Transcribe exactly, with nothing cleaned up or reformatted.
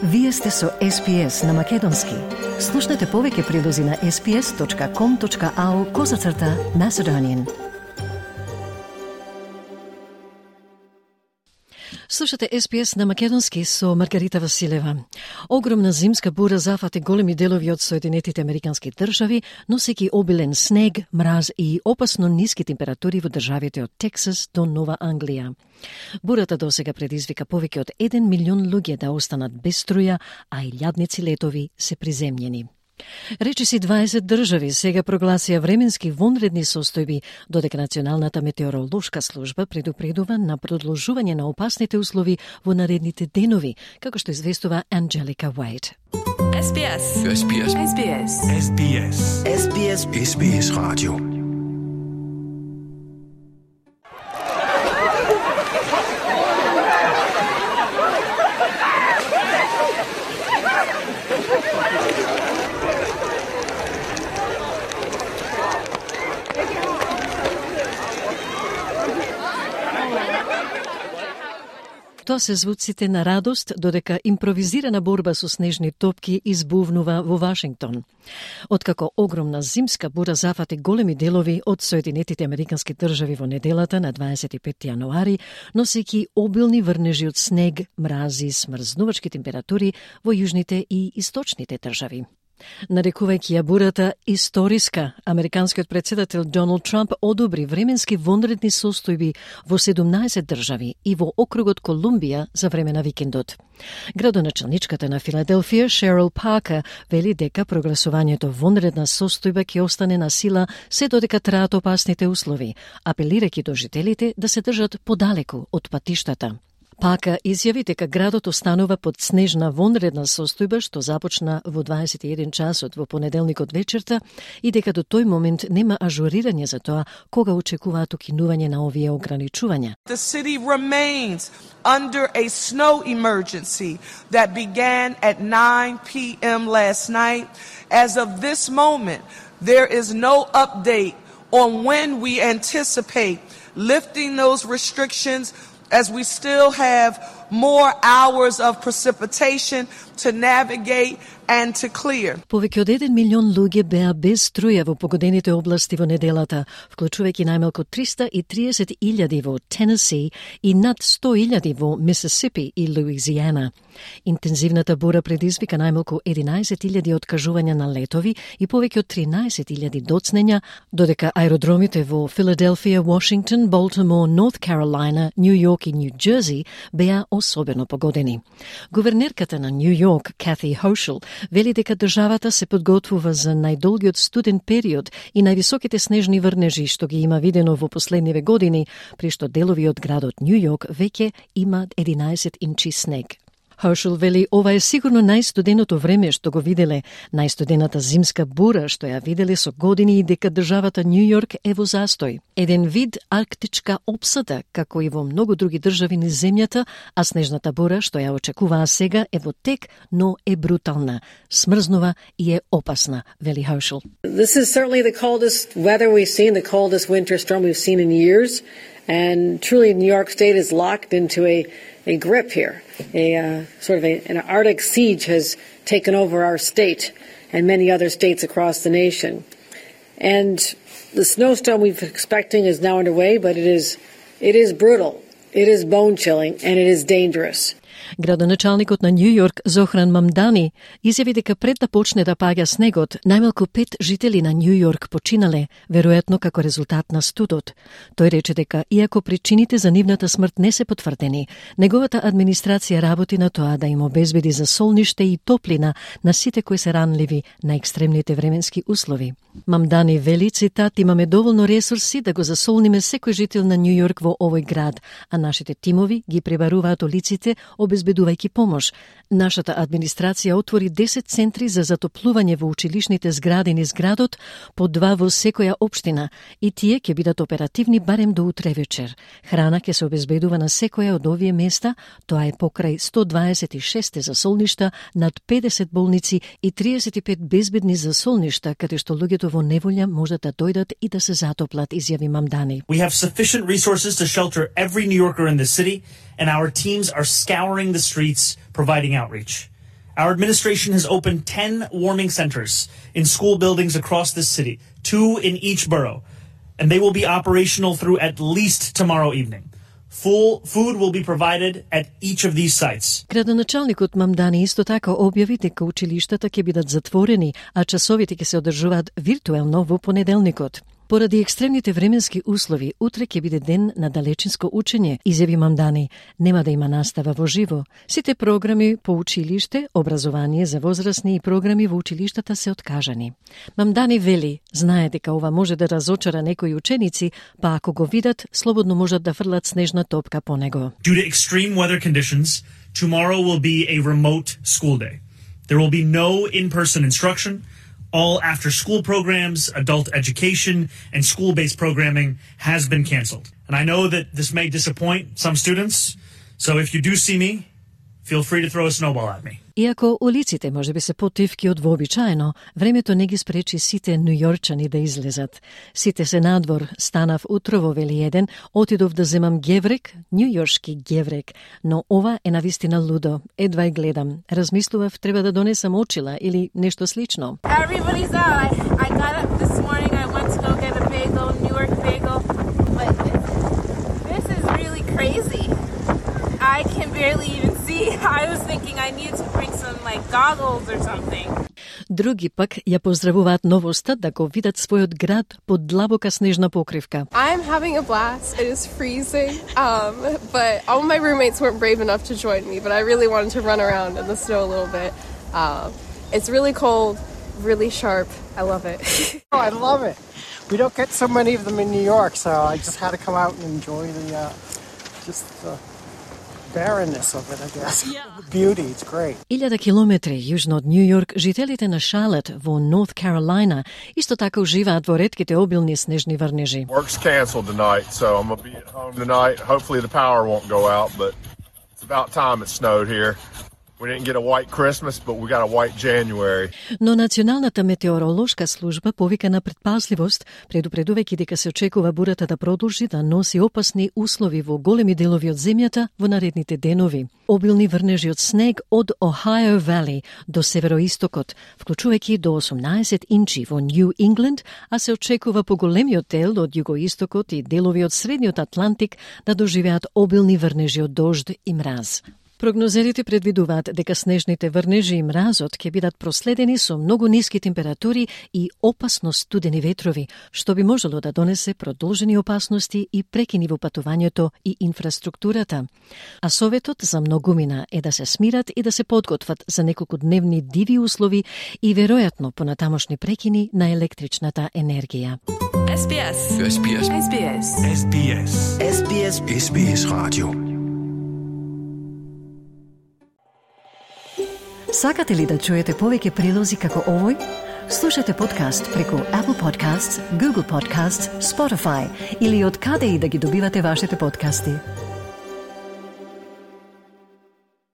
Вие сте со Ес Би Ес на Македонски. Слушнете повеќе прилози на ес би ес точка ком точка ау козацрта Macedonian. Слушате Ес Би Ес на Македонски со Маргарита Василева. Огромна зимска бура зафати големи делови од Соединетите Американски држави, носејќи обилен снег, мраз и опасно ниски температури во државите од Тексас до Нова Англија. Бурата досега предизвика повеќе од еден милион луѓе да останат без струја, а илјадници летови се приземјени. Речиси дваесет држави сега прогласија временски вонредни состојби, додека Националната метеоролошка служба предупредува на продолжување на опасните услови во наредните денови, како што известува Анджелика Уајт. Ес Би Ес. Ес Би Ес. Ес Би Ес. Ес Би Ес. Ес Би Ес. Ес Би Ес Radio. Тоа се звуците на радост, додека импровизирана борба со снежни топки избувнува во Вашингтон. Откако огромна зимска бура зафати големи делови од Соединетите Американски држави во неделата на дваесет и петти јануари, носејќи обилни врнежи од снег, мрази, смрзнувачки температури во јужните и источните држави. Нарекувајќи ја бурата историска, американскиот претседател Доналд Трамп одобри временски вонредни состојби во седумнаесет држави и во округот Колумбија за време на викендот. Градоначалничката на Филаделфија, Шерил Паркер, вели дека прогласувањето вонредна состојба ќе остане на сила се додека траат опасните услови, апелирајќи до жителите да се држат подалеку од патиштата. Пака изјави дека градот останува под снежна вонредна состојба што започна во дваесет и еден часот во понеделникот вечерта и дека до тој момент нема ажурирање за тоа кога очекуваат укинување на овие ограничувања. The city remains under a snow emergency that began at nine p m last night. As of this moment, there is no update on when we anticipate lifting those restrictions, as we still have more hours of precipitation to navigate and to clear. Повеќе од еден милион луѓе беа без струја во погодените области во неделата, вклучувајќи најмалку триста и триесет илјади во Тенеси и над сто илјади во Мисисипи и Луизијана. Интензивната бура предизвика најмалку единаесет илјади откажувања на летови и повеќе од тринаесет илјади доцнења, додека аеродромите во Филаделфија, Вашингтон, Болтимор, Норт Каролина, Нью Йорк и Нью Џерси беа особено погодени. Гувернерката на Нью Йорк, Кати Хоушел, вели дека државата се подготвува за најдолгиот студен период и највисоките снежни врнежи што ги има видено во последниве години, при што делови од градот Нью Йорк веќе има единаесет инчи снег. Хоушел вели ова е сигурно најстуденото време што го виделе, најстудената зимска бура што ја виделе со години и дека државата Нью Йорк е во застој. Еден вид арктичка опсада, како и во многу други држави низ земјата, а снежната бура што ја очекуваа сега е во тек, но е брутална, смрзнува и е опасна, вели Хоушел. This is certainly the coldest weather we've seen, the coldest winter storm we've seen in years, and truly New York State is locked into a a grip here. A uh, sort of a, an Arctic siege has taken over our state and many other states across the nation. And the snowstorm we've been expecting is now underway, but it is it is brutal, it is bone-chilling, and it is dangerous. Градоначалникот на Нью Йорк Зохран Мамдани изјави дека пред да почне да паѓа снегот, најмалку пет жители на Нью Йорк починале, веројатно како резултат на студот. Тој рече дека иако причините за нивната смрт не се потврдени, неговата администрација работи на тоа да им обезбеди за солниште и топлина на сите кои се ранливи на екстремните временски услови. Мамдани вели, цитат, имаме доволно ресурси да го засолниме секој жител на Нью Йорк во овој град, а нашите тимови ги пребаруваат улиците, обезбедувајќи помош. Нашата администрација отвори десет центри за затоплување во училишните згради низ градот, по два во секоја општина, и тие ќе бидат оперативни барем до утре вечер. Храна ќе се обезбедува на секоја од овие места, тоа е покрај сто дваесет и шест засолништа, над педесет болници и триесет и пет безбедни засолништа, каде што луѓето во неволја можат да дојдат и да се затоплат, изјави Мамдани. We have sufficient resources to shelter every New Yorker in the city, and our teams are scouring the streets, providing outreach. Our administration has opened ten warming centers in school buildings across this city, two in each borough, and they will be operational through at least tomorrow evening. Full food will be provided at each of these sites. Градоначалникот Мамдани исто така објави дека училиштата ќе бидат затворени, а часовите ќе се одржуваат виртуелно во понеделникот. Поради екстремните временски услови, утре ќе биде ден на далечинско учење, изјави Мамдани. Нема да има настава во живо. Сите програми по училиште, образование за возрастни и програми во училиштата се откажани. Мамдани вели, знае дека ова може да разочара некои ученици, па ако го видат, слободно можат да фрлат снежна топка по него. Due to extreme weather conditions, tomorrow will be a remote school day. There will be no in-person instruction. All after-school programs, adult education, and school-based programming has been canceled. And I know that this may disappoint some students, so if you do see me, feel free to throw a snowball at me. Иако улиците може би се потивки од вообичаено, времето не ги спречи сите њујорчани да излезат. Сите се надвор, станав утрово, вели еден, отидов да земам геврек, њујоршки геврек, но ова е навистина лудо, едва и гледам. Размислував треба да донесам очила или нешто слично. Everybody's out. I, I got up this morning, I went to go get a bagel, New York bagel, but this, this is really crazy. I can barely even see. I was thinking I needed to bring some like goggles or something. Други пак ја поздравуваат новоста да го видат својот град под длабока снежна покривка. I'm having a blast. It is freezing, um, but all my roommates weren't brave enough to join me, but I really wanted to run around in the snow a little bit. Uh, it's really cold, really sharp. I love it. Oh, I love it. We don't get so many of them in New York, so I just had to come out and enjoy the uh, just the barrenness of it, I guess. Yeah. The beauty, it's great. Илјада километри јужно од Нью Йорк, жителите на Шарлот во Норth Carolina исто така уживаат во ретките обилни снежни врнежи. Work's canceled tonight, so I'm gonna be at home tonight. Hopefully the power won't go out, but it's about time it snowed here. We didn't get a white Christmas, but we got a white January. Но Националната метеоролошка служба повика на предпазливост, предупредувајќи дека се очекува бурата да продолжи да носи опасни услови во големи делови од земјата во наредните денови. Обилни врнежи од снег од Ohio Valley до североистокот, вклучувајќи до осумнаесет инчи во Нью Ингланд, а се очекува поголемиот дел од југоистокот и делови од средниот Атлантик да доживеат обилни врнежи од дожд и мраз. Прогнозерите предвидуваат дека снежните врнежи и мразот ќе бидат проследени со многу ниски температури и опасно студени ветрови, што би можело да донесе продолжени опасности и прекини во патувањето и инфраструктурата. А советот за многумина е да се смират и да се подготват за неколку дневни диви услови и веројатно понатамошни прекини на електричната енергија. S B S. S B S. S B S. S B S. S B S. S B S Radio. Сакате ли да чуете повеќе прилози како овој? Слушате подкаст преку Apple Podcasts, Google Podcasts, Spotify или од каде и да ги добивате вашите подкасти.